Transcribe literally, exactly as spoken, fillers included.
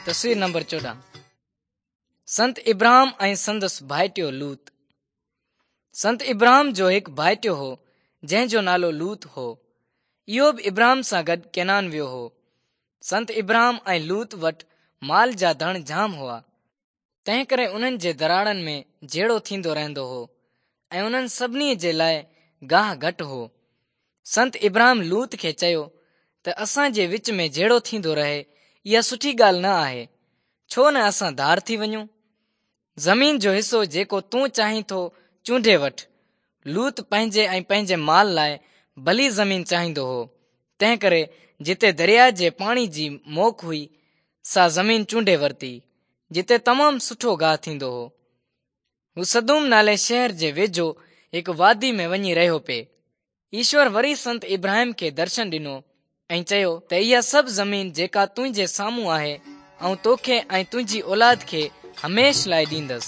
تصوير نمبر چوڏهن. سنت ابراهم ۽ سندس ڀائٽيو لوط. سنت ابراهم جو هڪ ڀائٽيو هو، جنهن جو نالو لوط هو. اهو به ابراهم سان گڏ ڪنعان ويو هو. سنت ابراهم ۽ لوط وٽ مال جا ڌڻ جام هئا، تنهنڪري انهن جي دراڙن ۾ جهيڙو ٿيندو رهندو هو ۽ انهن سڀني جي لاء گاهه گهٽ هو. سنت ابراهم لوط کي چيو ته اسان جي وچ ۾ جهيڙو ٿيندو رهي، اها سٺي ڳالهه نه آهي. ڇو نه اسان ڌار ٿي وڃون؟ زمين جو حصو جيڪو تون چاهين ٿو چونڊي وٺ. لوط پنهنجي ۽ پنهنجي مال لاء ڀلي زمين چاهيندو هو، تنهنڪري جتي درياء جي پاڻي جي موڪ هئي، سا زمين چونڊي ورتي، جتي تمام سٺو گاهه ٿيندو هو. هو سدوم نالي شهر جي ويجهو هڪ وادي ۾ وڃي رهيو پئي. ايشور وري سنت ابراهيم کي درشن ڏنو ۽ چيو ته اها سڀ زمين جيڪا تنهنجي سامهون آهي، آئون توکي ۽ تنهنجي اولاد کي هميشه لاءِ ڏيندس.